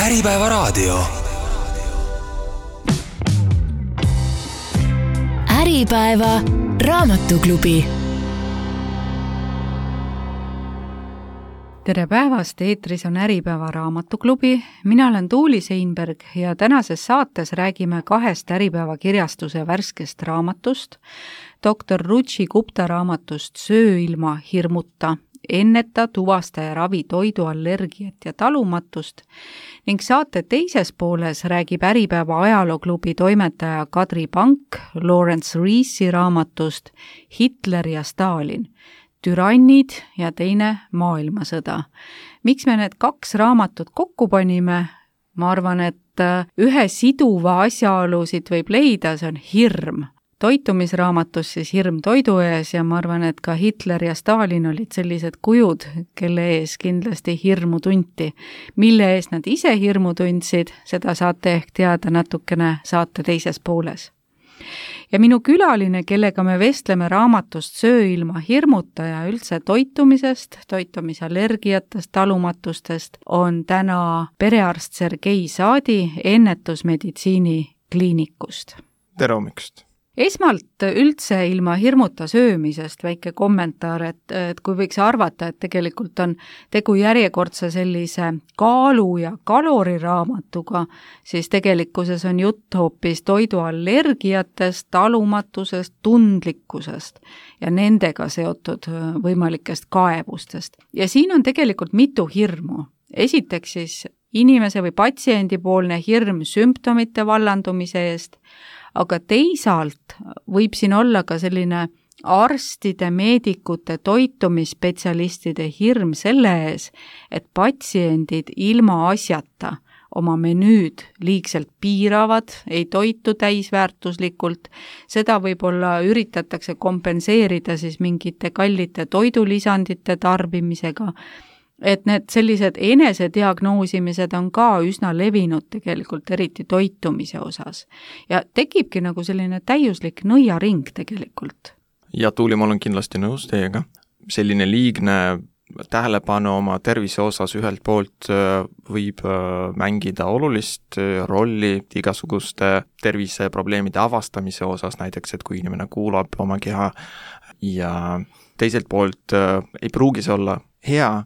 Äripäevaraadio. Äripäeva raamatuklubi. Tere päevast, eetris on Äripäeva raamatuklubi. Mina olen Tuuli Seinberg ja tänases saates räägime 2 Äripäeva kirjastuse värskest raamatust, Dr. Ruchi Gupta raamatust Söö ilma hirmuta, enneta, tuvasta ja ravi toiduallergiat ja talumatust ning saate teises pooles räägib Äripäeva ajalooklubi toimetaja Kadri Pank Lawrence Reesi raamatust Hitler ja Stalin, türannid ja teine maailmasõda. Miks me need 2 raamatut kokku panime? Ma arvan, et ühe siduva asjaolusid võib leida, see on hirm. Toitumisraamatus siis hirm toidu ees ja ma arvan, et ka Hitler ja Stalin olid sellised kujud, kelle ees kindlasti hirmu tunti. Mille ees nad ise hirmu tundsid, seda saate ehk teada natukene saate teises pooles. Ja minu külaline, kellega me vestleme raamatust Söö ilma hirmuta ja üldse toitumisest, toitumisallergiatest, talumatustest, on täna perearst Sergei Saadi ennetusmeditsiini kliinikust. Tere hommikust! Esmalt üldse ilma hirmuta söömisest väike kommentaar, et kui võiks arvata, et tegelikult on tegu järjekordse sellise kaalu ja kaloriraamatuga, siis tegelikkuses on jutt hoopis toiduallergiatest, talumatusest, tundlikkusest ja nendega seotud võimalikest kaebustest. Ja siin on tegelikult mitu hirmu. Esiteks siis inimese või patsiendipoolne hirm sümptomite vallandumise eest, aga teisalt võib siin olla ka selline arstide, meedikute, toitumisspetsialistide hirm selle ees, et patsiendid ilma asjata oma menüüd liigselt piiravad, ei toitu täisväärtuslikult. Seda võib-olla üritatakse kompenseerida siis mingite kallite toidulisandite tarbimisega. Et need sellised enesediagnoosimised on ka üsna levinud tegelikult, eriti toitumise osas. Ja tekibki nagu selline täiuslik nõiaring tegelikult. Ja Tuuli, ma olen kindlasti nõus teiega. Selline liigne tähelepanu oma tervise osas ühelt poolt võib mängida olulist rolli igasuguste terviseprobleemide avastamise osas, näiteks, et kui inimene kuulab oma keha ja teiselt poolt ei pruugi see olla hea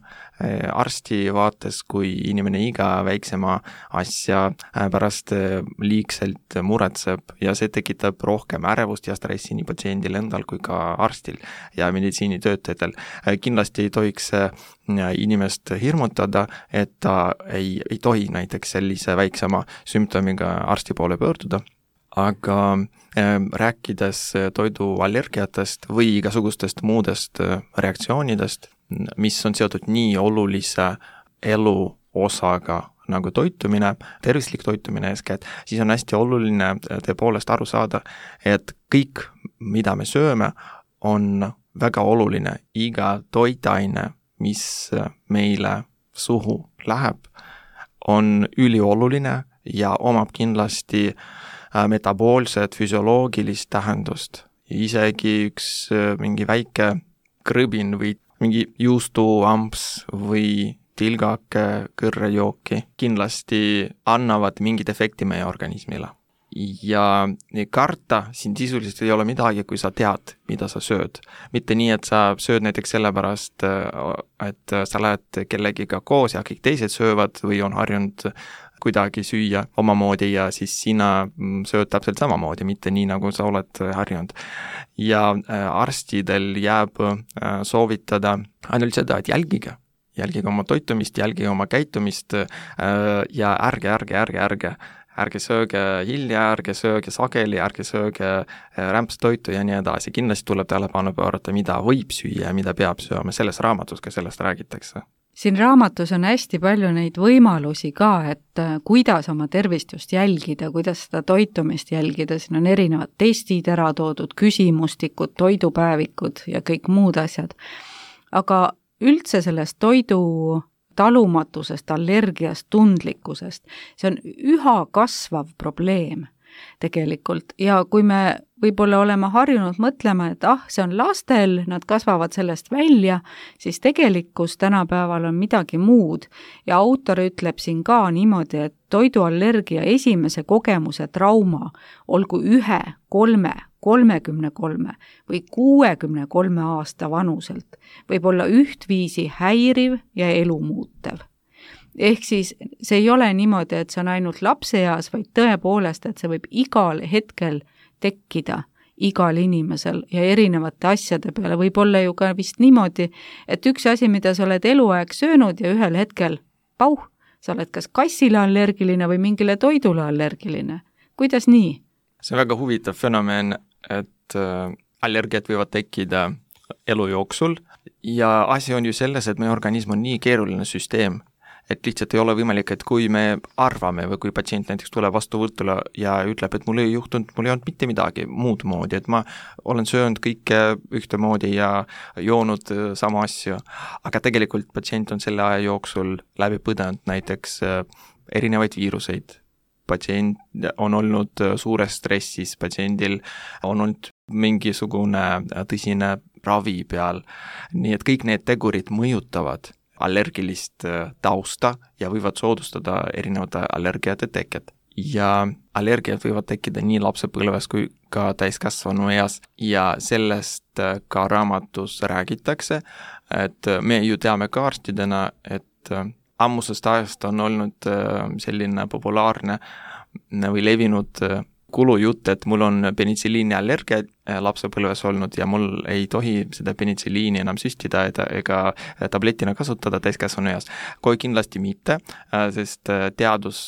arsti vaates, kui inimene iga väiksema asja pärast liigselt muretseb ja see tekitab rohkem ärevust ja stressi nii patsiendil endal kui ka arstil ja meditsiinitöötajatel. Kindlasti ei tohiks inimest hirmutada, et ta ei tohi näiteks sellise väiksema sümptomiga arsti poole pöörduda. Aga rääkides toiduallergiatest või igasugustest muudest reaktsioonidest, mis on seotud nii olulise elu osaga nagu toitumine, tervislik toitumine eeskätt, siis on hästi oluline tõepoolest aru saada, et kõik, mida me sööme, on väga oluline. Iga toitaine, mis meile suhu läheb, on ülioluline ja omab kindlasti metaboolset, füsioloogilist tähendust. Isegi üks mingi väike krõbin või mingi juustuamps või tilgake kõrrejooki kindlasti annavad mingit efekti meie organismile. Ja karta siin sisuliselt ei ole midagi, kui sa tead, mida sa sööd. Mitte nii, et sa sööd näiteks sellepärast, et sa lähed kellegiga koos ja kõik teised söövad või on harjunud kuidagi süüa omamoodi ja siis sina sööd täpselt samamoodi, mitte nii, nagu sa oled harjunud. Ja arstidel jääb soovitada ainult seda, et jälgige oma toitumist, jälgige oma käitumist ja ärge sööge hilja, ärge sööge sageli, ärge sööge rämpstoitu ja nii edasi. Kindlasti tuleb tähelepanu pöörata, mida võib süüa ja mida peab sööma. Selles raamatus ka sellest räägitakse. Siin raamatus on hästi palju neid võimalusi ka, et kuidas oma tervist just jälgida, kuidas seda toitumist jälgida. Siin on erinevad testid ära toodud, küsimustikud, toidupäevikud ja kõik muud asjad. Aga üldse sellest toidu talumatusest, allergiast, tundlikkusest, see on üha kasvav probleem. tegelikult. Ja kui me võib-olla oleme harjunud mõtlema, et see on lastel, nad kasvavad sellest välja, siis tegelikkus tänapäeval on midagi muud. Ja autor ütleb siin ka niimoodi, et toiduallergia esimese kogemuse trauma olgu 1, 3, 33 või 63 aasta vanuselt võib olla ühtviisi häiriv ja elumuutev. Ehk siis see ei ole niimoodi, et see on ainult lapseeas, vaid tõepoolest, et see võib igal hetkel tekkida igal inimesel ja erinevate asjade peale. Võib olla ju ka vist niimoodi, et üks asi, mida sa oled eluaeg söönud ja ühel hetkel, sa oled kas kassile allergiline või mingile toidule allergiline. Kuidas nii? See on väga huvitav fenomen, et allergiad võivad tekkida elu jooksul ja asi on ju selles, et meie organism on nii keeruline süsteem, et lihtsalt ei ole võimalik, et kui me arvame või kui patsient näiteks tuleb vastuvõtule ja ütleb, et mul ei juhtunud, mul ei olnud mitte midagi muud moodi, et ma olen söönud kõike ühtemoodi ja joonud sama asju, aga tegelikult patsient on selle aja jooksul läbi põdenud näiteks erinevaid viiruseid. Patsient on olnud suures stressis, patsiendil on olnud mingisugune tõsine ravi peal, nii et kõik need tegurid mõjutavad allergilist tausta ja võivad soodustada erinevate allergiate teket. Ja allergiad võivad tekkida nii lapsepõlves kui ka täiskasvanu eas ja sellest ka raamatus räägitakse, et me ju teame ka arstidena, et ammusest ajast on olnud selline populaarne või levinud kulujutt, et mul on penitsiliini allergia lapsepõlves olnud ja mul ei tohi seda penitsiliini enam süstida ega tabletina kasutada täiskasvanu eas. Kui kindlasti mitte, sest teadus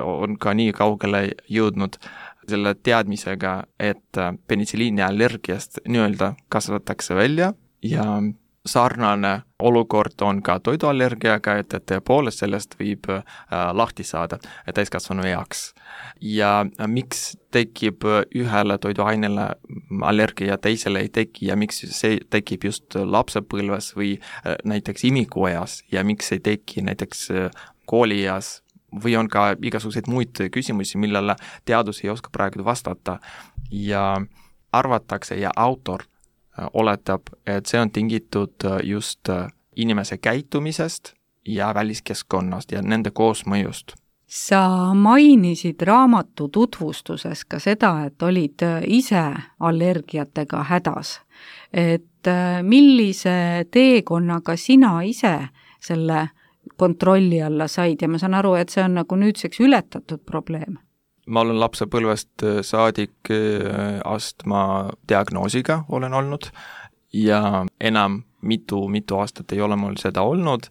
on ka nii kaugele jõudnud selle teadmisega, et penitsiliini allergiast nii-öelda kasvatakse välja ja sarnane olukord on ka toiduallergiaga, et tõepoolest sellest võib lahti saada täiskasvanu eaks. Ja miks tekib ühele toiduainele allergia, teisele ei teki ja miks see tekib just lapsepõlves või näiteks imikueas ja miks ei teki näiteks koolieas või on ka igasuguseid muid küsimusi, millele teadus ei oska praegu vastata ja arvatakse ja autor oletab, et see on tingitud just inimese käitumisest ja väliskeskkonnast ja nende koosmõjust. Sa mainisid raamatu tutvustuses ka seda, et olid ise allergiatega hädas. Et millise teekonnaga sina ise selle kontrolli alla said ja ma saan aru, et see on nagu nüüdseks ületatud probleem? Ma olen lapsepõlvest saadik astma diagnoosiga olen olnud ja enam mitu aastat ei ole mul seda olnud.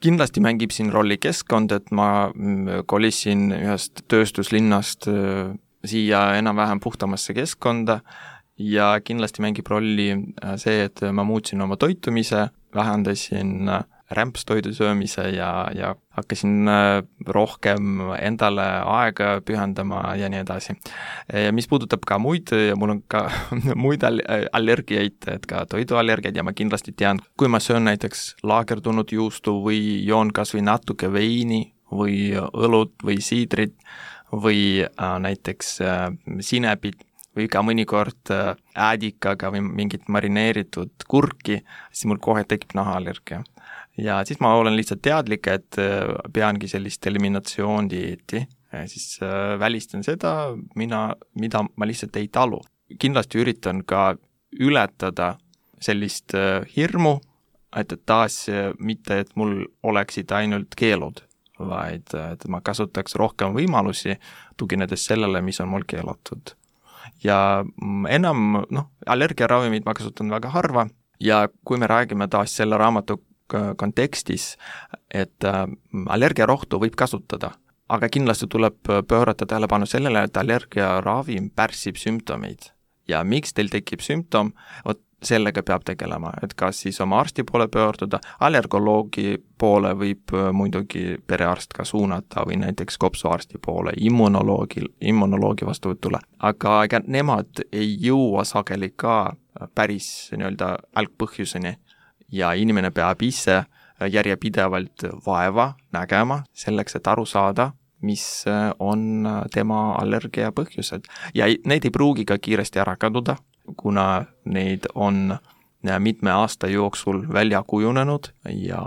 Kindlasti mängib siin rolli keskkond, et ma kolisin ühest tööstuslinnast siia enam-vähem puhtamasse keskkonda ja kindlasti mängib rolli see, et ma muutsin oma toitumise, vähendasin rämpstoidu söömise ja hakkasin rohkem endale aega pühendama ja nii edasi. Ja mis puudutab ka muid, ja mul on ka muid allergiaid, et ka toiduallergiaid ja ma kindlasti tean, kui ma söön näiteks laagerdunud juustu või joon kas või natuke veini või õlut või siidrit või näiteks sinepit või ka mõnikord äädikaga või mingit marineeritud kurki, siis mul kohe tekib nahaallergia. Ja siis ma olen lihtsalt teadlik, et peangi sellist eliminatsioondieeti, siis välistan seda, mida ma lihtsalt ei talu. Kindlasti üritan ka ületada sellist hirmu, et taas mitte, et mul oleksid ainult keelud, vaid et ma kasutaks rohkem võimalusi, tuginedes sellele, mis on mul keelatud. Ja enam, allergiaravimid ma kasutan väga harva ja kui me räägime taas selle raamatu kontekstis, et allergiarohtu võib kasutada, aga kindlasti tuleb pöörata tähelepanu sellele, et allergiaravim pärsib sümptomeid. Ja miks teil tekib sümptom, sellega peab tegelema, et kas siis oma arsti poole pöörduda, allergoloogi poole võib muidugi perearst ka suunata või näiteks kopsuarsti poole, immunoloogi vastuvõtule. Aga ega nemad ei jõua sageli ka päris nii-öelda algpõhjuseni ja inimene peab ise järjepidevalt vaeva nägema selleks, et aru saada, mis on tema allergia põhjused. Ja need ei pruugi ka kiiresti ära kaduda, kuna neid on mitme aasta jooksul välja kujunenud ja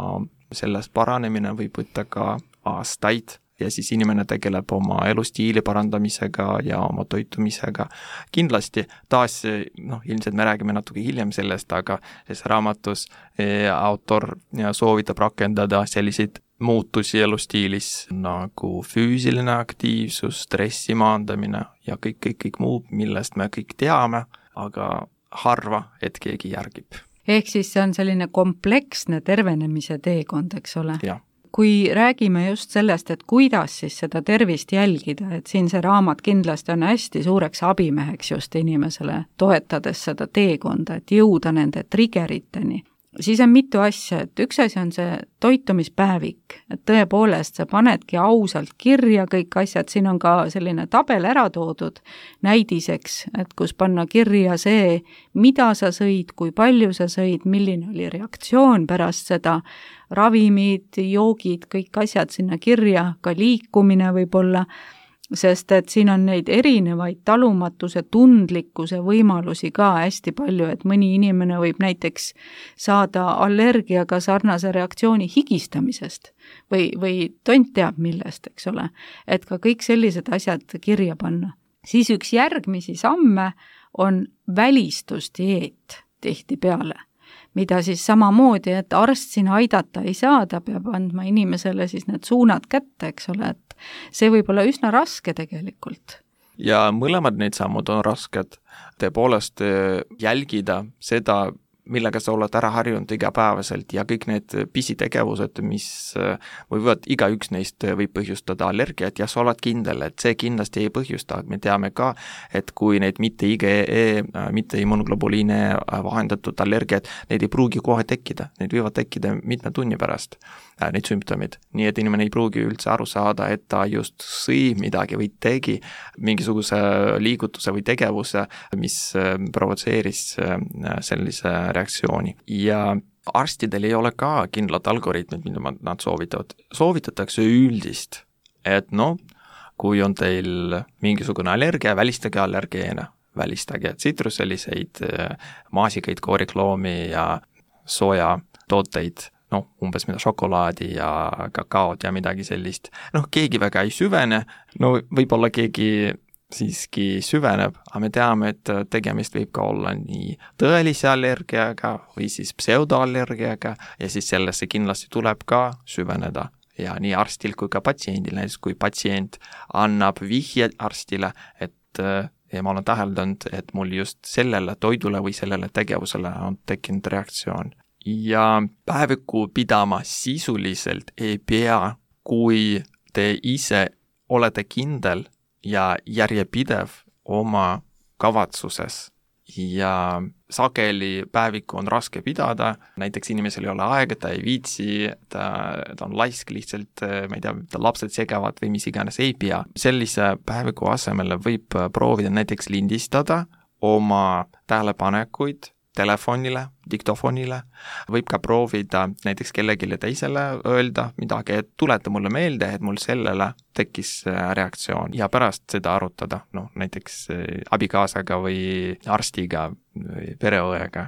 sellest paranemine võib võtta ka aastaid. Ja siis inimene tegeleb oma elustiili parandamisega ja oma toitumisega. Kindlasti taas, ilmselt me räägime natuke hiljem sellest, aga selles raamatus autor soovitab rakendada selliseid muutusi elustiilis nagu füüsiline aktiivsus, stressi maandamine ja kõik muu, millest me kõik teame, aga harva, et keegi järgib. Ehk siis see on selline kompleksne tervenemise teekond, eks ole? Jah. Kui räägime just sellest, et kuidas siis seda tervist jälgida, et siin see raamat kindlasti on hästi suureks abimeheks just inimesele, toetades seda teekonda, et jõuda nende triggeriteni, siis on mitu asja, et üks asi on see toitumispäevik, et tõepoolest sa panedki ausalt kirja kõik asjad, siin on ka selline tabel ära toodud näidiseks, et kus panna kirja see, mida sa sõid, kui palju sa sõid, milline oli reaktsioon pärast seda, ravimid, joogid, kõik asjad sinna kirja, ka liikumine võib-olla, sest et siin on neid erinevaid talumatuse, tundlikkuse võimalusi ka hästi palju, et mõni inimene võib näiteks saada allergiaga sarnase reaktsiooni higistamisest või tont teab millest, eks ole, et ka kõik sellised asjad kirja panna. Siis üks järgmisi samme on välistusdieet tihtipeale, mida siis samamoodi, et arst siin aidata ei saa, ta peab andma inimesele siis need suunad kätte, eks ole, et see võib olla üsna raske tegelikult. Ja mõlemad need sammud on rasked. Tõepoolest jälgida seda, millega sa oled ära harjunud igapäevaselt ja kõik need pisitegevused, mis võivad, igaüks neist võib põhjustada allergiat ja sa oled kindel, et see kindlasti ei põhjusta. Me teame ka, et kui need mitte IgE, mitte immunoglobuliine vahendatud allergiat, need ei pruugi kohe tekkida, need võivad tekkida mitme tunni pärast, need sümptomid. Nii et inimene ei pruugi üldse aru saada, et ta just sõi midagi või tegi mingisuguse liigutuse või tegevuse, mis provotseeris sellise reaktsiooni. Ja arstidel ei ole ka kindlad algoritmid, mida nad soovitavad. Soovitatakse üldist, et kui on teil mingisugune allergia, välistage allergeene, välistage tsitruseliseid, maasikaid, koorikloomi ja soja tooteid, umbes mida šokolaadi ja kakaod ja midagi sellist. Keegi väga ei süvene, võib-olla keegi siiski süveneb, aga me teame, et tegemist võib ka olla nii tõelise allergiaga või siis pseudoallergiaga ja siis sellesse kindlasti tuleb ka süveneda. Ja nii arstil kui ka patsiendil, näiteks kui patsient annab vihje arstile, et ma olen täheldanud, et mul just sellele toidule või sellele tegevusele on tekkinud reaktsioon. Ja päeviku pidama sisuliselt ei pea, kui te ise olete kindel ja järjepidev oma kavatsuses ja sageli päevikku on raske pidada, näiteks inimesel ei ole aega, ta ei viitsi, ta on laisk lihtsalt, ma ei tea, lapsed segavad või mis iganes ei pea. Sellise päeviku asemel võib proovida näiteks lindistada oma tähelepanekuid telefonile, diktofonile, võib ka proovida näiteks kellelegi teisele öelda midagi, et tuleta mulle meelde, et mul sellele tekkis reaktsioon ja pärast seda arutada, näiteks abikaasaga või arstiga või pereõega.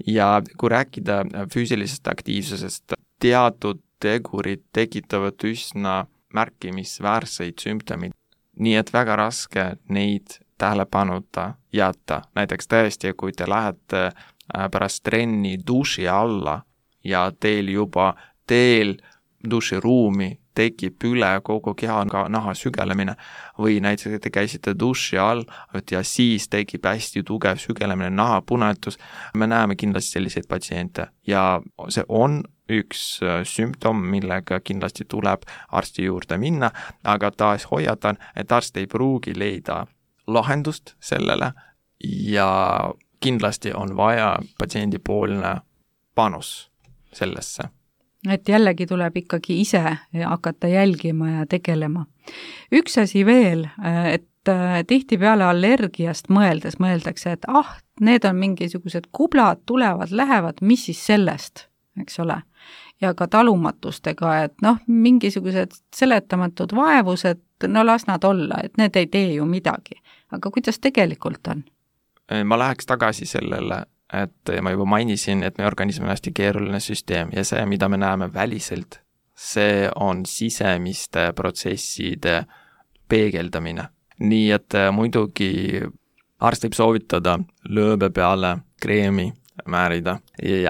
Ja kui rääkida füüsilisest aktiivsusest, teatud tegurid tekitavad üsna märkimisväärseid sümptomid, nii et väga raske neid tähelepanuta jätta. Näiteks tõesti, kui te lähete pärast trenni duši alla ja teil juba duširuumi tekib üle kogu keha naha sügelemine või näiteks te käisite duši all ja siis tekib hästi tugev sügelemine, nahapunetus, me näeme kindlasti selliseid patsiente ja see on üks sümptom, millega kindlasti tuleb arsti juurde minna, aga taas hoiatan, et arst ei pruugi leida lahendust sellele ja kindlasti on vaja patsiendipoolne panus sellesse. Et jällegi tuleb ikkagi ise hakata jälgima ja tegelema. Üks asi veel, et tihtipeale allergiast mõeldakse, et need on mingisugused kublad, tulevad, lähevad, mis siis sellest, eks ole. ja ka talumatustega, et noh, mingisugused seletamatud vaevused, no las nad olla, et need ei tee ju midagi. Aga kuidas tegelikult on? Ma läheks tagasi sellele, et ma juba mainisin, et meie organism on hästi keeruline süsteem ja see, mida me näeme väliselt, see on sisemiste protsesside peegeldamine. Nii et muidugi arst võib soovitada lööbe peale kreemi määrida,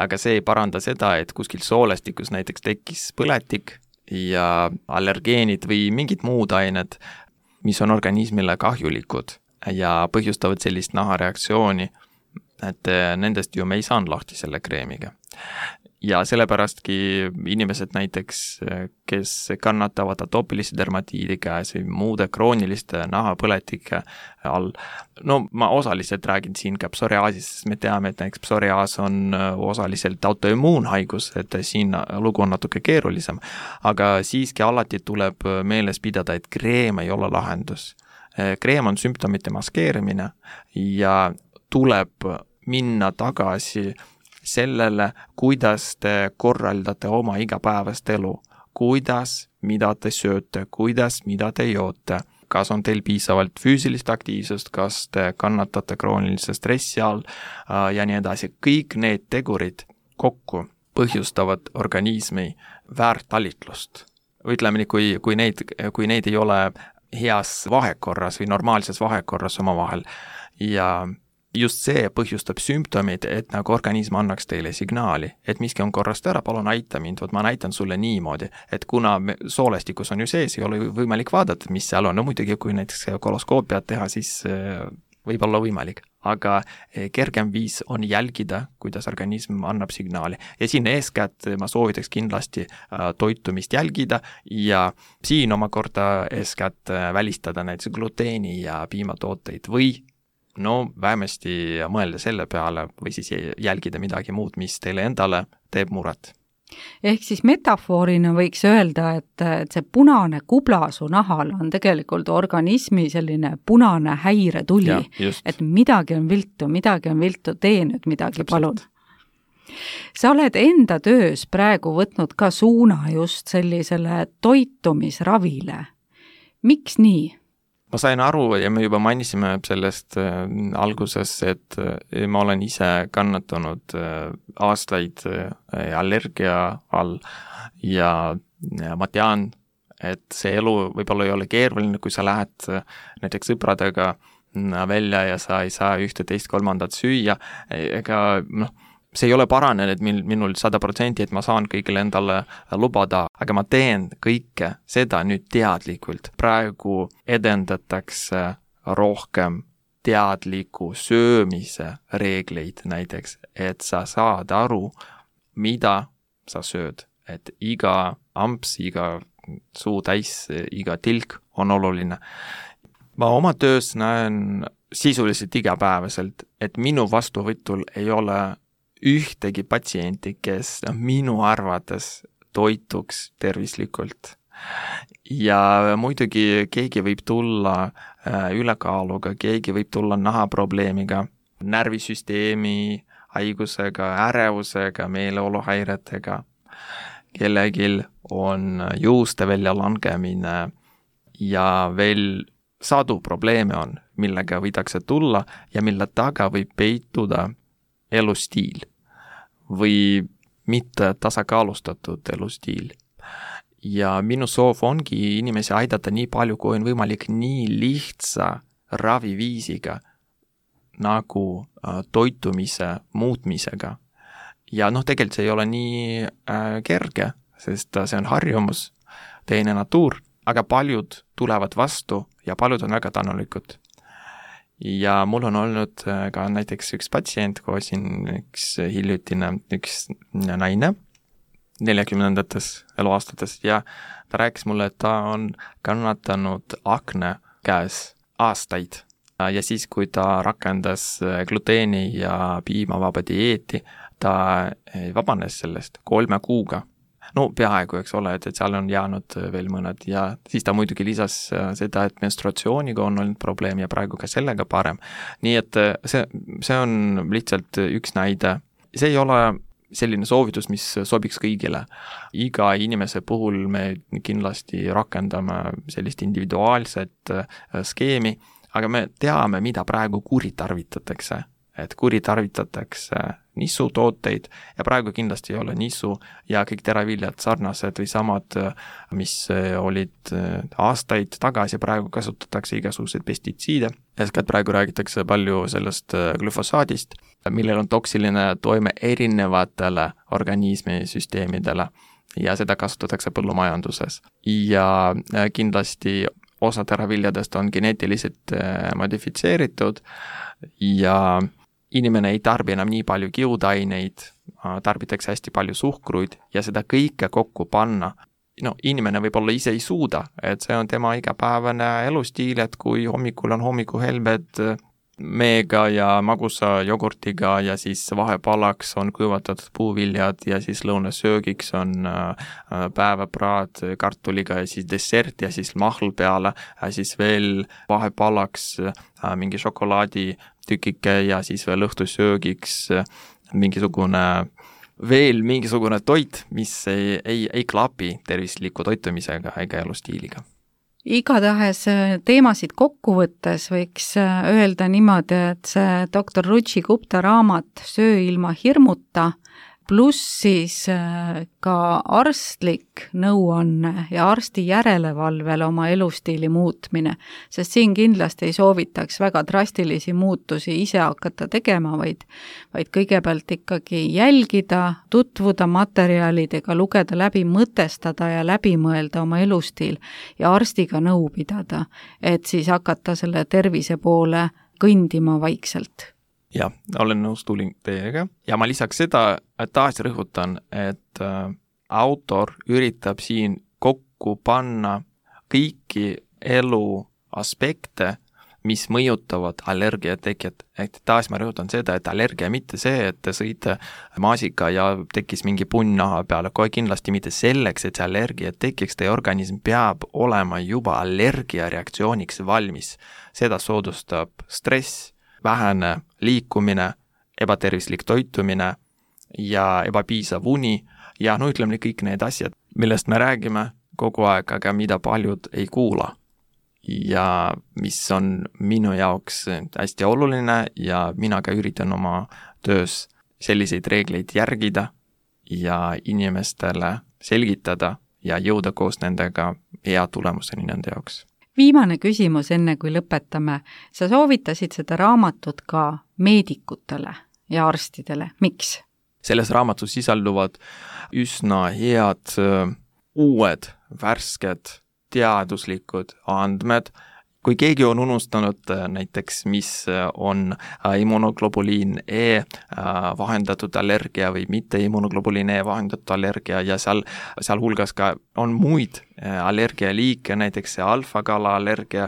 aga see ei paranda seda, et kuskil soolestikus näiteks tekkis põletik ja allergeenid või mingid muud ained, mis on organismile kahjulikud ja põhjustavad sellist nahareaktsiooni, et nendest ju me ei saanud lahti selle kreemiga. Ja sellepäradki inimesed näiteks, kes kannatavad atoopilise dermatiidi käes või muude krooniliste nahapõletike all, no ma osaliselt räägin siin ka psoriaasist, sest me teame, et näiteks psoriaas on osaliselt autoimmuunhaigus, et siin lugu on natuke keerulisem, aga siiski alati tuleb meeles pidada, et kreem ei ole lahendus. Kreem on sümptomite maskeerimine ja tuleb minna tagasi sellele, kuidas te korraldate oma igapäevast elu, kuidas, mida te sööte, kuidas, mida te joote, kas on teil piisavalt füüsilist aktiivsust, kas te kannatate kroonilise stressi all ja nii edasi. Kõik need tegurid kokku põhjustavad organismi väärtalitlust. Ütleme nii, kui neid ei ole heas vahekorras või normaalses vahekorras omavahel ja just see põhjustab sümptomid, et nagu organism annaks teile signaali, et miski on korrast ära, palun aita mind, ma näitan sulle niimoodi, et kuna soolestikus on ju sees, ei ole võimalik vaadata, mis seal on, no muidugi kui näiteks koloskoopiat teha, siis võib olla võimalik, aga kergem viis on jälgida, kuidas organism annab signaali ja siin eeskätt ma soovitaks kindlasti toitumist jälgida ja siin omakorda eeskätt välistada näiteks gluteeni ja piimatooteid või no vähemasti mõelda selle peale või siis jälgida midagi muud, mis teile endale teeb muret. Ehk siis metafoorina võiks öelda, et see punane kubla su nahal on tegelikult organismi selline punane häiretuli, et midagi on viltu, tee nüüd midagi, palun. Sa oled enda töös praegu võtnud ka suuna just sellisele toitumisravile. Miks nii? Ma sain aru ja me juba mainisime sellest alguses, et ma olen ise kannatanud aastaid allergia all ja ma tean, et see elu võib-olla ei ole keeruline, kui sa lähed näiteks sõpradega välja ja sa ei saa ühte, teist, kolmandat süüa, ega see ei ole paranenud minul 100%, et ma saan kõigile endale lubada, aga ma teen kõike seda nüüd teadlikult. Praegu edendatakse rohkem teadliku söömise reegleid näiteks, et sa saad aru, mida sa sööd, et iga amps, iga suu täis, iga tilk on oluline. Ma oma töös näen sisuliselt igapäevaselt, et minu vastuvõtul ei ole ühtegi patsienti, kes minu arvates toituks tervislikult. Ja muidugi keegi võib tulla ülekaaluga, keegi võib tulla nahaprobleemiga, närvisüsteemi haigusega, ärevusega, meeleoluhäiretega. Kellegil on juuste väljalangemine ja veel sadu probleeme on, millega võidakse tulla ja mille taga võib peituda elustiil või mitte tasakaalustatud elustiil. Ja minu soov ongi inimesi aidata nii palju, kui on võimalik nii lihtsa raviviisiga nagu toitumise muutmisega. Ja tegelikult see ei ole nii kerge, sest see on harjumus, teine natuur, aga paljud tulevad vastu ja paljud on väga tänulikud. Ja mul on olnud ka näiteks üks patsient, koos siin üks hiljutine, üks naine 40-ndates eluaastates ja ta rääkis mulle, et ta on kannatanud akne käes aastaid. Ja siis, kui ta rakendas gluteeni ja piimavaba dieeti, ta vabanes sellest 3 kuuga. No peaaegu, eks ole, et seal on jäänud veel mõned ja siis ta muidugi lisas seda, et menstruatsiooniga on olnud probleem ja praegu ka sellega parem. Nii et see on lihtsalt üks näide. See ei ole selline soovitus, mis sobiks kõigile. Iga inimese puhul me kindlasti rakendame sellist individuaalset skeemi, aga me teame, mida praegu kuritarvitatakse. Et kuritarvitatakse nissutooteid ja praegu kindlasti ei ole nissu ja kõik teraviljad sarnased või samad, mis olid aastaid tagasi, praegu kasutatakse igasuguseid pestitsiide. Eeskätt praegu räägitakse palju sellest glüfosaadist, millel on toksiline toime erinevatele organismisüsteemidele ja seda kasutatakse põllumajanduses. Ja kindlasti osa teraviljadest on geneetiliselt modifitseeritud ja inimene ei tarbi enam nii palju kiudaineid, tarbitakse hästi palju suhkruid ja seda kõike kokku panna. Inimene võib-olla ise ei suuda, et see on tema igapäevane elustiil, et kui hommikul on hommikuhelbed meega ja magusa jogurtiga ja siis vahepalaks on kuivatatud puuviljad ja siis lõunasöögiks on päevapraad kartuliga ja siis dessert ja siis mahl peale ja siis veel vahepalaks mingi šokolaaditükike ja siis veel õhtusöögiks mingisugune toit, mis ei klapi tervisliku toitumisega ega elustiiliga. Igatahes teemasid kokku võttes võiks öelda niimoodi, et see doktor Ruchi Gupta raamat Söö ilma hirmuta pluss siis ka arstlik nõuanne ja arsti järelevalvel oma elustiili muutmine, sest siin kindlasti ei soovitaks väga drastilisi muutusi ise hakata tegema, vaid kõigepealt ikkagi jälgida, tutvuda materjalidega, lugeda läbi, mõtestada ja läbi mõelda oma elustiil ja arstiga nõu pidada, et siis hakata selle tervise poole kõndima vaikselt. Ja, olen nõus tulin teiega ja ma lisaks seda taas rõhutan, et autor üritab siin kokku panna kõiki elu aspekte, mis mõjutavad allergiateket. Ehk taas ma rõhutan seda, et allergia mitte see, et te sõite maasika ja tekkis mingi punn naha peale, kohe kindlasti mitte selleks, et see allergia tekiks, teie organism peab olema juba allergiareaktsiooniks valmis. Seda soodustab stress, vähene liikumine, ebatervislik toitumine ja ebapiisav uni ja ütleme kõik need asjad, millest me räägime kogu aeg, aga mida paljud ei kuula. Ja mis on minu jaoks hästi oluline ja mina ka üritan oma töös selliseid reegleid järgida ja inimestele selgitada ja jõuda koos nendega hea tulemuseni nende jaoks. Viimane küsimus enne, kui lõpetame. Sa soovitasid seda raamatut ka meedikutele ja arstidele. Miks? Selles raamatus sisalduvad üsna head uued, värsked, teaduslikud andmed. Kui keegi on unustanud näiteks, mis on immunoglobuliin E vahendatud allergia või mitte immunoglobuliin E vahendatud allergia ja seal hulgas ka on muid allergialiike, näiteks see alfakala allergia,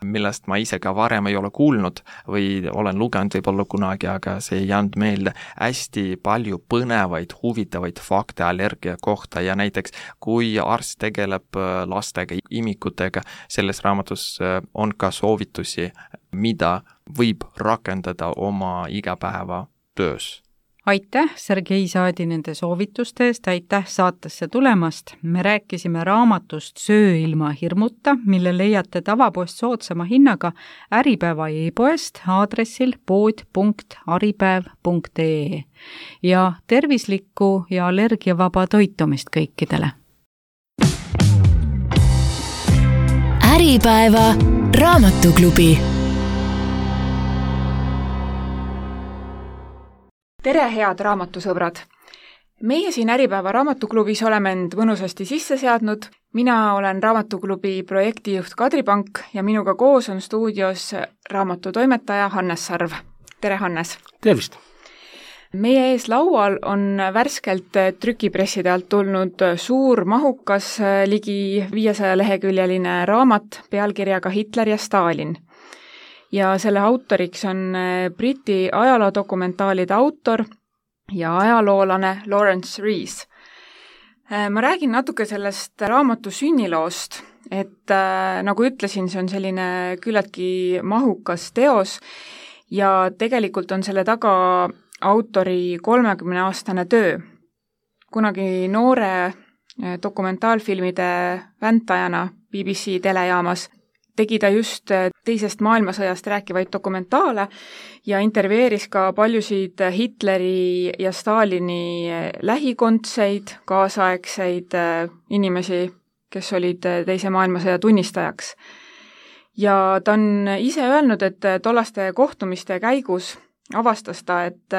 millest ma ise ka varem ei ole kuulnud või olen lugenud võib-olla kunagi, aga see ei jäänud meelde. Hästi palju põnevaid, huvitavaid fakte allergia kohta ja näiteks kui arst tegeleb lastega, imikutega, selles raamatus on ka soovitusi, mida võib rakendada oma igapäeva töös. Aitäh, Sergei Saadi, nende soovituste eest, aitäh saatesse tulemast. Me rääkisime raamatust Söö ilma hirmuta, mille leiate tavapoest soodsama hinnaga Äripäeva e-poest aadressil pood.aripäev.ee ja tervislikku ja allergiavaba toitumist kõikidele. Äripäeva raamatuklubi. Tere, head raamatusõbrad! Meie siin Äripäeva raamatuklubis oleme end mõnusasti sisse seadnud. Mina olen raamatuklubi projektijuht Kadri Pank ja minuga koos on stuudios raamatutoimetaja Hannes Sarv. Tere, Hannes! Tervist! Meie ees laual on värskelt trükipresside alt tulnud suur, mahukas, ligi 500 leheküljeline raamat pealkirjaga Hitler ja Stalin. Ja selle autoriks on Briti ajaloodokumentaalide autor ja ajaloolane Lawrence Rees. Ma räägin natuke sellest raamatu sünniloost, et nagu ütlesin, see on selline küllaltki mahukas teos ja tegelikult on selle taga autori 30-aastane töö. Kunagi noore dokumentaalfilmide väntajana BBC telejaamas tegi ta just teisest maailmasõjast rääkivaid dokumentaale ja intervjueeris ka paljusid Hitleri ja Stalini lähikondseid, kaasaegseid inimesi, kes olid teise maailmasõja tunnistajaks. Ja ta on ise öelnud, et tollaste kohtumiste käigus avastas ta, et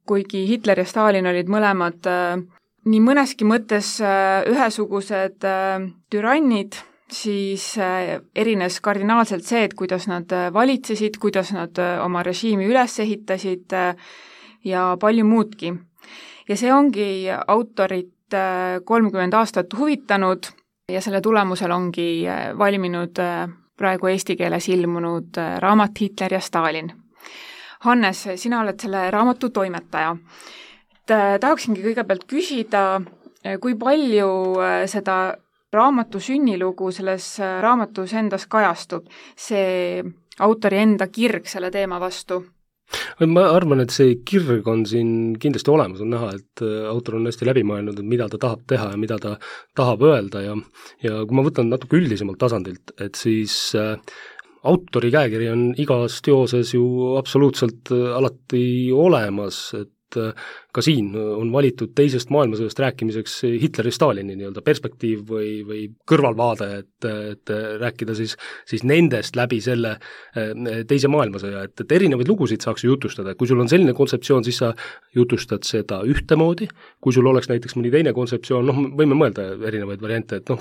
kuigi Hitler ja Stalin olid mõlemad nii mõneski mõttes ühesugused türannid, siis erines kardinaalselt see, et kuidas nad valitsesid, kuidas nad oma režiimi üles ehitasid ja palju muudki. Ja see ongi autorit 30 aastat huvitanud ja selle tulemusel ongi valminud praegu eesti keeles ilmunud raamat Hitler ja Stalin. Hannes, sina oled selle raamatu toimetaja. Tahaksingi kõigepealt küsida, kui palju seda raamatu sünnilugu selles raamatus endas kajastub, see autori enda kirg selle teema vastu? Ma arvan, et see kirg on siin kindlasti olemas, on näha, et autor on hästi läbi mõelnud, et mida ta tahab teha ja mida ta tahab öelda ja kui ma võtan natuke üldisemalt tasandilt, et siis autori käekiri on igas teoses ju absoluutselt alati olemas, et ka siin on valitud teisest maailmasõjast rääkimiseks Hitleri Stalini nii-öelda perspektiiv või kõrvalvaade, et rääkida siis nendest läbi selle teise maailmasõja, et erinevaid lugusid saaks ju jutustada, kui sul on selline kontseptsioon, siis sa jutustad seda ühtemoodi, kui sul oleks näiteks mõni teine kontseptsioon, võime mõelda erinevaid variante, et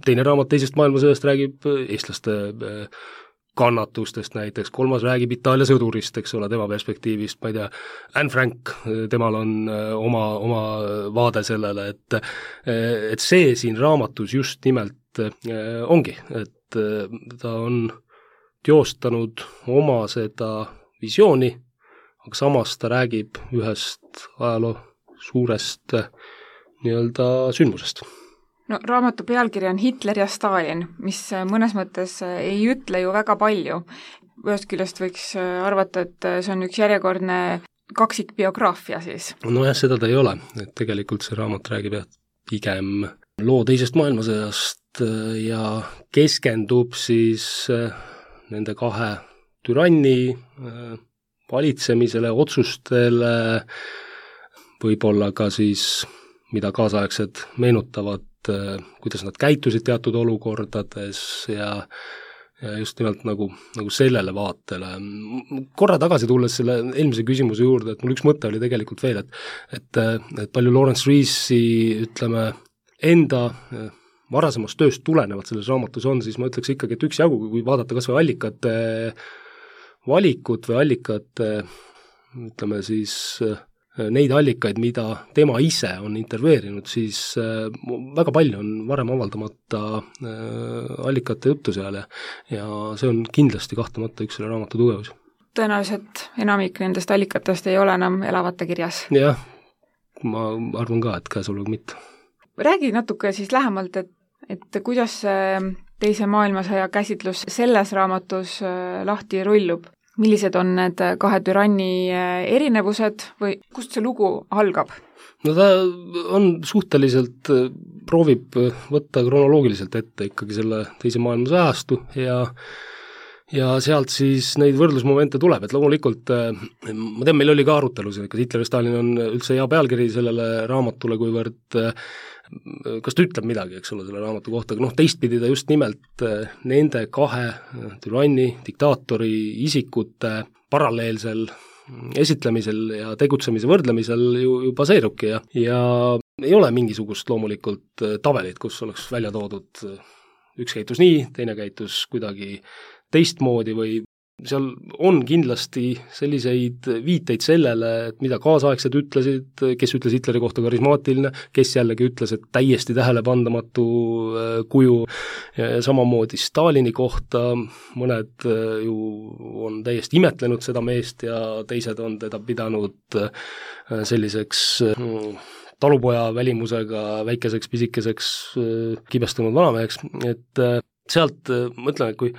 teine raamat teisest maailmasõjast räägib eestlaste kannatustest näiteks, kolmas räägib Itaalia sõdurist, eks ole, tema perspektiivist, ma ei tea, Anne Frank, temal on oma vaade sellele, et see siin raamatus just nimelt ongi, et ta on teostanud oma seda visiooni, aga samas ta räägib ühest ajaloo suurest nii-öelda sündmusest. No raamatu pealkiri on Hitler ja Stalin, mis mõnes mõttes ei ütle ju väga palju. Ühest küljest võiks arvata, et see on üks järjekordne kaksikbiograafia siis. No jah, seda ta ei ole, et tegelikult see raamat räägib pigem loo teisest maailmasõjast ja keskendub siis nende kahe türanni valitsemisele, otsustele, võib-olla ka siis, mida kaasaegsed meenutavad, kuidas nad käitusid teatud olukordades ja just nimelt nagu sellele vaatele. Korra tagasi tulles selle eelmise küsimuse juurde, et mul üks mõte oli tegelikult veel, et palju Lawrence Reesi, ütleme, enda varasemast tööst tulenevat selles raamatus on, siis ma ütleks ikkagi, et üksjagu, kui vaadata kas või allikate valikut või allikate, ütleme siis neid allikaid, mida tema ise on intervjueerinud, siis väga palju on varem avaldamata allikate juttu seal ja see on kindlasti kahtlemata üks selle raamatu tugevus. Tõenäoliselt enamik nendest allikatest ei ole enam elavate kirjas. Jah, ma arvan ka, et käesolev mitte. Räägi natuke siis lähemalt, et kuidas teise maailmasõja käsitlus selles raamatus lahti rullub? Millised on need kahe türanni erinevused või kust see lugu algab? No ta on suhteliselt, proovib võtta kronoloogiliselt ette ikkagi selle teise maailmasõja ajastu ja sealt siis neid võrdlusmomente tuleb, et loomulikult ma tean, meil oli ka arutelusid, kas Hitler ja Stalin on üldse hea pealkiri sellele raamatule, kuivõrd kas ta ütleb midagi, eks ole, selle raamatu kohta, aga teistpidi ta just nimelt nende kahe türanni, diktaatori isikute paralleelsel esitlemisel ja tegutsemise võrdlemisel ju baseerubki ja ei ole mingisugust loomulikult tabelit, kus oleks välja toodud üks käitus nii, teine käitus kuidagi teistmoodi või seal on kindlasti selliseid viiteid sellele, et mida kaasaegsed ütlesid, kes ütles Hitleri kohta karismaatiline, kes jällegi ütles, et täiesti tähelepandamatu kuju, samamoodi Stalini kohta, mõned ju on täiesti imetlenud seda meest ja teised on teda pidanud selliseks talupoja välimusega väikeseks pisikeseks kibestunud vanameheks, et sealt mõtlen, et kui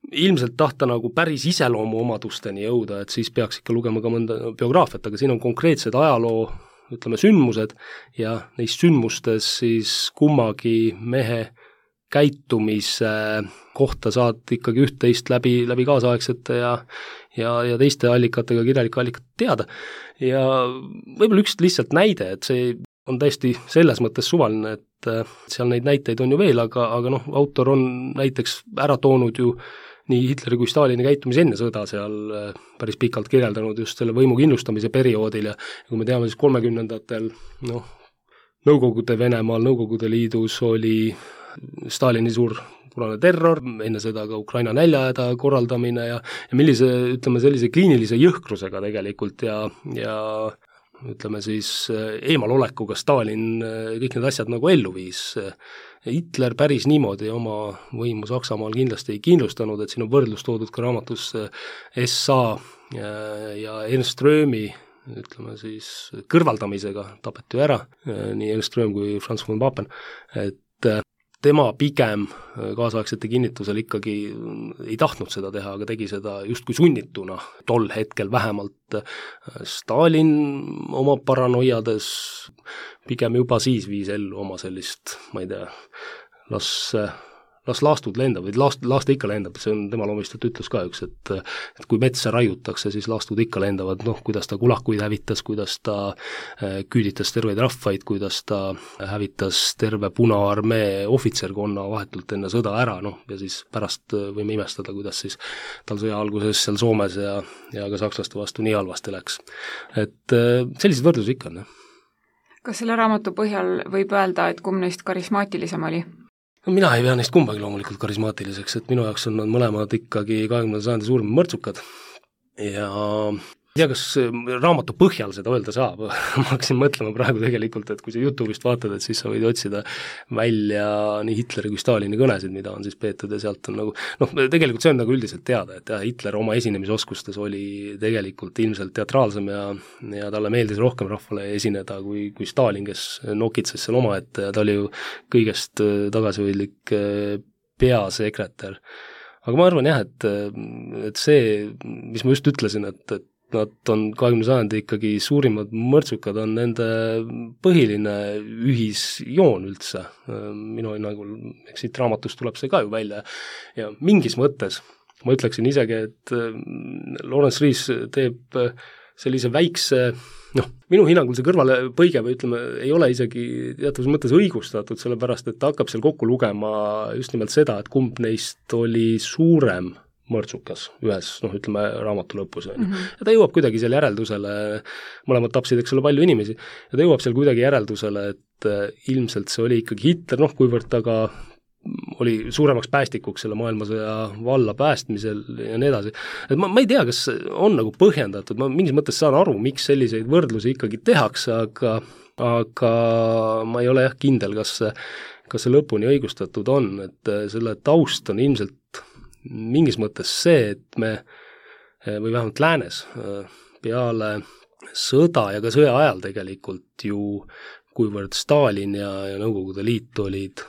ilmselt tahta nagu päris iseloomu omadusteni jõuda, et siis peaks ikka lugema ka mõnda biograafiat, aga siin on konkreetsed ajaloo, ütleme, sündmused ja neist sündmustes siis kummagi mehe käitumise kohta saad ikkagi üht-teist läbi kaasaegsete ja teiste allikatega, kirjalike allikate teada. Ja võib-olla üks lihtsalt näide, et see on täiesti selles mõttes suvaline, et seal neid näiteid on ju veel, aga noh, autor on näiteks ära toonud ju nii Hitleri kui Stalini käitumise enne sõda seal päris pikalt kirjeldanud just selle võimu kindlustamise perioodil ja kui me teame siis 30-ndatel, noh, Nõukogude Venemaal, Nõukogude Liidus oli Stalini suur punane terror, enne seda ka Ukraina näljahäda korraldamine ja millise, ütleme, sellise kliinilise jõhkrusega tegelikult ja ütleme siis eemalolekuga Stalin kõik need asjad nagu ellu viis. Hitler päris niimoodi oma võimu Saksamaal kindlasti ei kindlustanud, et siin on võrdlus toodud ka raamatus SA ja Ernst Röhmi, ütleme siis kõrvaldamisega tapeti ju ära, nii Ernst Röhm kui Franz von Papen, et tema pigem kaasaegsete kinnitusel ikkagi ei tahtnud seda teha, aga tegi seda justkui sunnituna, tol hetkel vähemalt. Stalin oma paranoiades pigem juba siis viis ellu oma sellist, ma ei tea, las laastud lendab, või laaste ikka lendab, see on tema loomistud ütlus ka üks, et kui metsa raiutakse, siis laastud ikka lendavad, noh, kuidas ta kulakuid hävitas, kuidas ta küüditas terveid rahvaid, kuidas ta hävitas terve Punaarmee ohvitserkonna vahetult enne sõda ära, noh, ja siis pärast võime imestada, kuidas siis tal sõja alguses seal Soomes ja ka sakslaste vastu nii halvasti läks. Et sellised võrdlusi ikka on, jah. Kas selle raamatu põhjal võib öelda, et kumb neist karismaatilisem oli? Mina ei pea neist kumbagi loomulikult karismaatiliseks, et minu jaoks on nad mõlemad ikkagi 20. sajandi suurim mõrtsukad ja ei tea, kas raamatu põhjal seda öelda saab, ma hakkasin mõtlema praegu tegelikult, et kui sa YouTube'ist vaatad, et siis sa võid otsida välja nii Hitleri kui Stalini kõnesid, mida on siis peetud ja sealt on nagu, noh, tegelikult see on nagu üldiselt teada, et jah, Hitler oma esinemisoskustes oli tegelikult ilmselt teatraalsem ja talle meeldis rohkem rahvale esineda kui Stalin, kes nokitses seal omaette ja ta oli ju kõigest tagasihoidlik peasekretär. Aga ma arvan jah, et see, mis ma just ütlesin, et nad on 20. sajandi ikkagi suurimad mõrtsukad, on nende põhiline ühisjoon üldse. Minu hinnangul, eks siit raamatust tuleb see ka ju välja ja mingis mõttes ma ütleksin isegi, et Lawrence Rees teeb sellise väikse, noh, minu hinnangul see kõrvalepõige või ütleme, ei ole isegi teatavas mõttes õigustatud, sellepärast et ta hakkab seal kokku lugema just nimelt seda, et kumb neist oli suurem mõrtsukas ühes, noh, ütleme raamatu lõpus. Ja ta jõuab kuidagi seal järeldusele, mõlemad tapsid, eks ole, palju inimesi, ja ta jõuab seal kuidagi järeldusele, et ilmselt see oli ikkagi Hitler, noh, kuivõrd ta ka oli suuremaks päästikuks selle maailmasõja valla päästmisel ja nii edasi. Et ma ei tea, kas on nagu põhjendatud, ma mingis mõttes saan aru, miks selliseid võrdlusi ikkagi tehakse, aga ma ei ole jah kindel, kas see lõpuni õigustatud on, et selle taust on ilmselt mingis mõttes see, et me, või vähemalt läänes, peale sõda ja ka sõja ajal tegelikult ju, kuivõrd Stalin ja Nõukogude Liit olid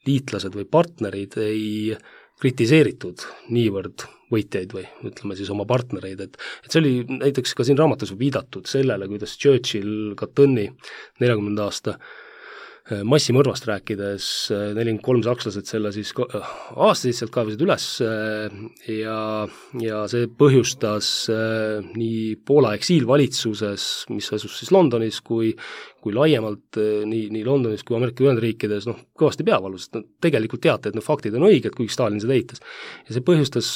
liitlased või partnerid, ei kritiseeritud niivõrd võitjaid või ütleme siis oma partnereid, et see oli näiteks ka siin raamatus viidatud sellele, kuidas Churchill Kattõnni 40. aasta massimõrvast rääkides 43 sakslased selle siis aastasid sealt kaevasid üles ja see põhjustas nii Poola eksiilvalitsuses, mis asus siis Londonis, kui laiemalt nii Londonis kui Ameerika Ühendriikides, noh, kõvasti peavalu, sest tegelikult teate, et faktid on õiged, kuigi Stalin seda eitas. Ja see põhjustas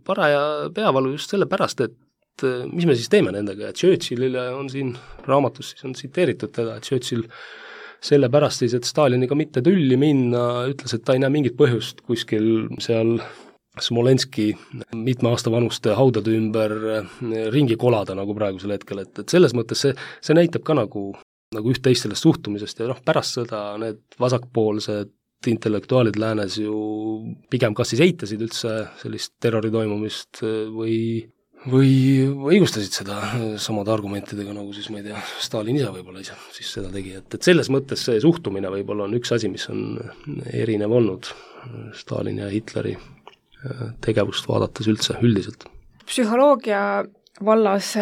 paraja peavalu just sellepärast, et mis me siis teeme nendega, et Churchillile on siin raamatus, siis on tsiteeritud teda, et Churchill sellepärast siis, et Staliniga mitte tülli minna, ütles, et ta ei näe mingit põhjust kuskil seal Smolenski mitme aasta vanuste haudade ümber ringi kolada nagu praegusel hetkel, et selles mõttes see näitab ka nagu üht-teist sellest suhtumisest ja pärast sõda need vasakpoolsed intellektuaalid läänes ju pigem kas siis eitasid üldse sellist terrori toimumist või õigustasid seda samade argumentidega, nagu siis ma ei tea, Stalin ise võib-olla ise siis seda tegi, et selles mõttes see suhtumine võib-olla on üks asi, mis on erinev olnud Stalini ja Hitleri tegevust vaadates üldse, üldiselt. Psühholoogia vallas,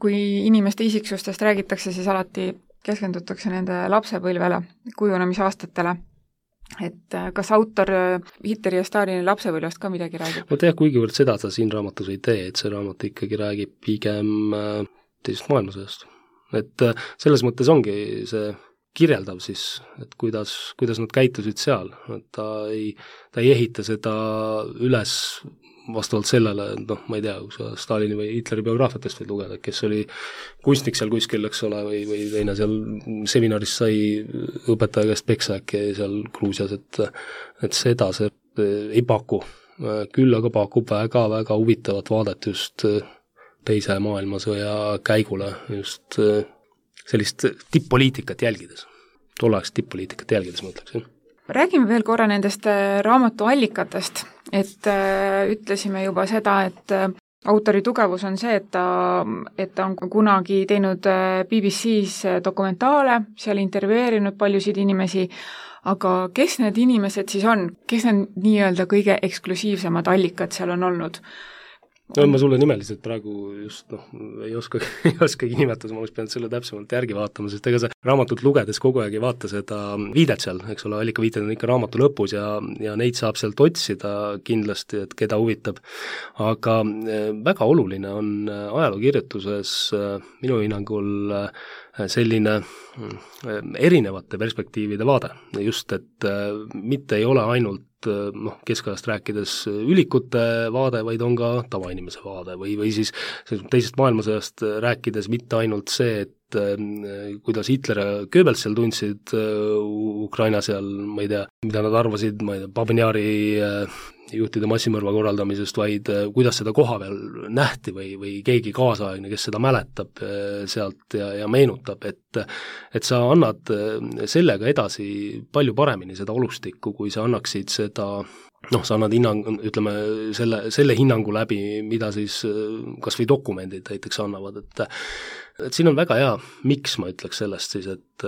kui inimeste isiksustest räägitakse, siis alati keskendutakse nende lapsepõlvele, kujunemisaastatele. Et kas autor Hitleri ja Stalini lapsepõlvest ka midagi räägib? No kuigivõrd seda ta siin raamatus ei tee, et see raamat ikkagi räägib pigem teisest maailmasõjast. Et selles mõttes ongi see kirjeldav siis, et kuidas nad käitusid seal, et ta ei ehita seda üles vastavalt sellele, ma ei tea, kui sa Stalini või Hitleri biograafiatest võid lugeda, kes oli kunstnik seal kuskil, eks ole, või teine seal seminaris sai õpetaja käest peksa äkki seal Gruusias, et seda see ei paku. Küll aga pakub väga-väga huvitavat vaadet just teise maailmasõja käigule, just sellist tipp-poliitikat jälgides. Tolleaegset tipp-poliitikat jälgides, ma ütleksin. Räägime veel korra nendest raamatu allikatest, et ütlesime juba seda, et autori tugevus on see, et ta on kunagi teinud BBC-s dokumentaale, seal intervjueerinud paljusid inimesi, aga kes need inimesed siis on? Kes need nii-öelda kõige eksklusiivsemad allikad seal on olnud? No ma sulle nimeliselt praegu just ei oskagi nimetada, ma oleks pidanud selle täpsemalt järgi vaatama, sest ega see raamatut lugedes kogu aeg ei vaata seda viidet seal, eks ole, allikaviited on ikka raamatu lõpus ja neid saab sealt otsida kindlasti, et keda huvitab. Aga väga oluline on ajalookirjutuses minu hinnangul selline erinevate perspektiivide vaade, just et mitte ei ole ainult keskajast rääkides ülikute vaade, vaid on ka tavainimese vaade või siis teisest maailmasõjast rääkides mitte ainult see, et kuidas Hitler ja Goebbels seal tundsid Ukraina seal, ma ei tea, mida nad arvasid, ma ei tea, Babinjari juhtide massimõrva korraldamisest, vaid kuidas seda koha peal nähti või keegi kaasaegne, kes seda mäletab sealt ja meenutab, et sa annad sellega edasi palju paremini seda olustikku, kui sa annaksid seda, sa annad ütleme, selle hinnangu läbi, mida siis kas või dokumendid näiteks annavad, et siin on väga hea, miks ma ütleks sellest siis, et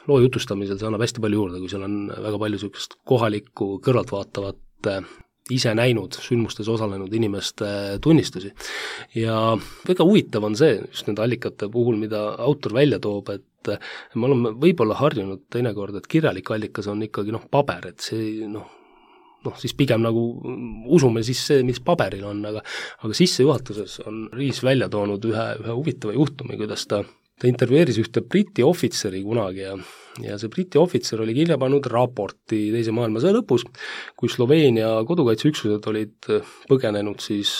loo jutustamisel see annab hästi palju juurde, kui seal on väga palju niisugust kohalikku kõrvaltvaatavat ise näinud, sündmustes osalenud inimeste tunnistusi. Ja väga huvitav on see, just nende allikate puhul, mida autor välja toob, et me oleme võib-olla harjunud teinekord, et kirjalik allikas on ikkagi paber, et see siis pigem nagu usume siis see, mis paberil on, aga sissejuhatuses on Riis välja toonud ühe huvitava juhtumi, kuidas ta intervjueeris ühte Briti ohvitseri kunagi ja see Briti ohvitser oli kirja pannud raporti teise maailmasõja lõpus, kui Sloveenia kodukaitseüksused olid põgenenud siis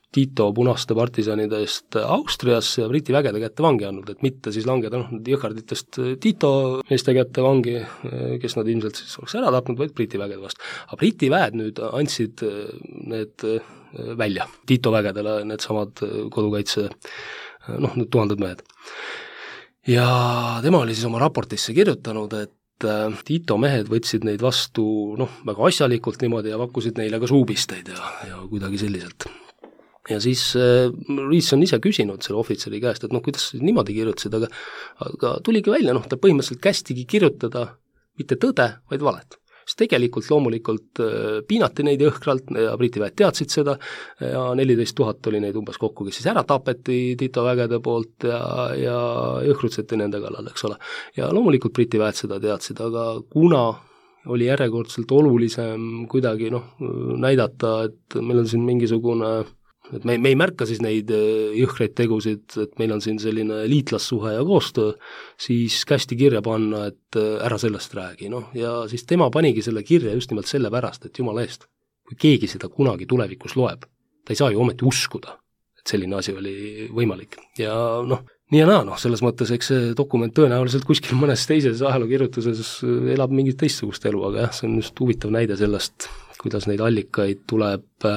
Tito punaste partisanide eest Austriasse ja Briti vägede kätte vangi andnud, et mitte siis langeda jõhkarditest Tito meeste kätte vangi, kes nad ilmselt siis oleks ära tapnud, vaid Briti vägede vastu. Aga Briti väed nüüd andsid need välja Tito vägedele, need samad kodukaitse need tuhanded mehed. Ja tema oli siis oma raportisse kirjutanud, et Tito mehed võtsid neid vastu väga asjalikult niimoodi ja pakkusid neile ka suupisteid ja kuidagi selliselt. Ja siis Riis on ise küsinud selle ohvitseri käest, et kuidas niimoodi kirjutasid, aga tuligi välja, ta põhimõtteliselt kästigi kirjutada mitte tõde, vaid valet. Sest tegelikult loomulikult piinati neid jõhkralt ja Briti väed teadsid seda ja 14 000 oli neid umbes kokku, kes siis ära tapeti Tito vägede poolt ja jõhkrutseti nende kallal, eks ole. Ja loomulikult Briti väed seda teadsid, aga kuna oli järjekordselt olulisem kuidagi näidata, et meil on siin mingisugune, et me ei märka siis neid jõhkreid tegusid, et meil on siin selline liitlassuhe ja koostöö, siis kästi kirja panna, et ära sellest räägi, ja siis tema panigi selle kirja just nimelt selle pärast, et jumala eest, kui keegi seda kunagi tulevikus loeb, ta ei saa ju ometi uskuda, et selline asi oli võimalik. Ja nii ja naa, selles mõttes, eks see dokument tõenäoliselt kuskil mõnes teises ajalookirjutuses elab mingit teistsugust elu, aga jah, see on just huvitav näide sellest, kuidas neid allikaid tuleb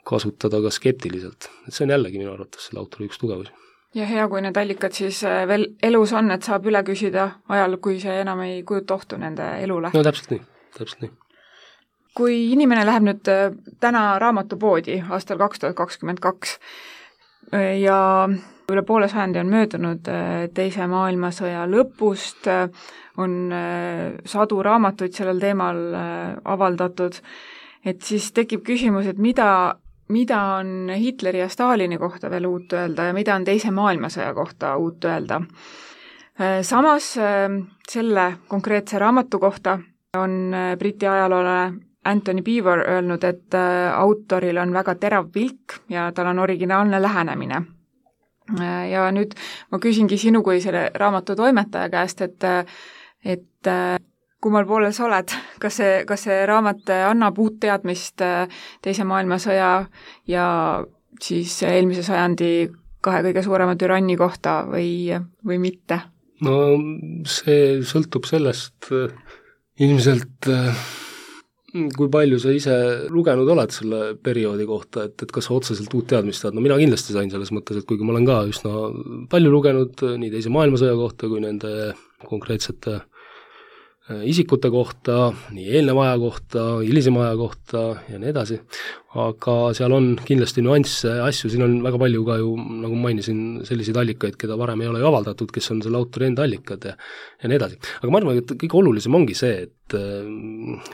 kasutada ka skeptiliselt. Et see on jällegi minu arvates selle autori üks tugevus. Ja hea, kui need allikad siis veel elus on, et saab üle küsida ajal, kui see enam ei kujuta ohtu nende elule. No täpselt nii. Kui inimene läheb nüüd täna raamatupoodi aastal 2022 ja üle poole sajandi on möödunud teise maailmasõja lõpust, on sadu raamatuid sellel teemal avaldatud, et siis tekib küsimus, et mida on Hitleri ja Stalini kohta veel uut öelda ja mida on Teise maailmasõja kohta uut öelda. Samas selle konkreetse raamatu kohta on Briti ajaloolane Anthony Beevor öelnud, et autoril on väga terav pilk ja tal on originaalne lähenemine. Ja nüüd ma küsingi sinu kui selle raamatu toimetaja käest, et kummal poolel sa oled, kas see raamat annab uut teadmist Teise maailmasõja ja siis eelmise sajandi 2 kõige suurema türanni kohta või mitte? No see sõltub sellest ilmselt, kui palju sa ise lugenud oled selle perioodi kohta, et kas sa otseselt uut teadmist saad. No mina kindlasti sain selles mõttes, et kuigi ma olen ka üsna palju lugenud nii Teise maailmasõja kohta kui nende konkreetsete isikute kohta, nii eelneva aja kohta, hilisema aja kohta ja nii edasi, aga seal on kindlasti nüansse, asju, siin on väga palju ka ju, nagu mainisin, selliseid allikaid, keda varem ei ole ju avaldatud, kes on selle autori enda allikad ja nii edasi. Aga ma arvan, et kõige olulisem ongi see, et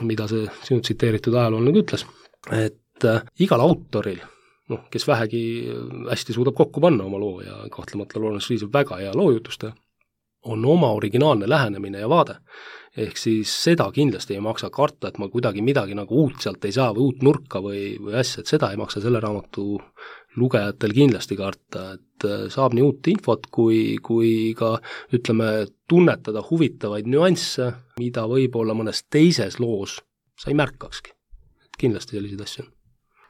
mida see sinu tsiteeritud ajaloolane ütles, et igal autoril, kes vähegi hästi suudab kokku panna oma loo ja kahtlemata Lawrence Rees on väga hea loojutustaja, on oma originaalne lähenemine ja vaade. Ehk siis seda kindlasti ei maksa karta, et ma kuidagi midagi nagu uut sealt ei saa või uut nurka või asja, et seda ei maksa selle raamatu lugejatel kindlasti karta, et saab nii uut infot kui ka ütleme tunnetada huvitavaid nüansse, mida võib-olla mõnes teises loos sa ei märkakski. Et kindlasti selliseid asju on.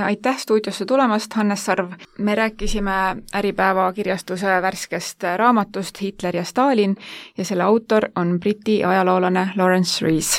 Aitäh stuudiosse tulemast, Hannes Sarv. Me rääkisime Äripäeva kirjastuse värskest raamatust Hitler ja Stalin ja selle autor on Briti ajaloolane Lawrence Rees.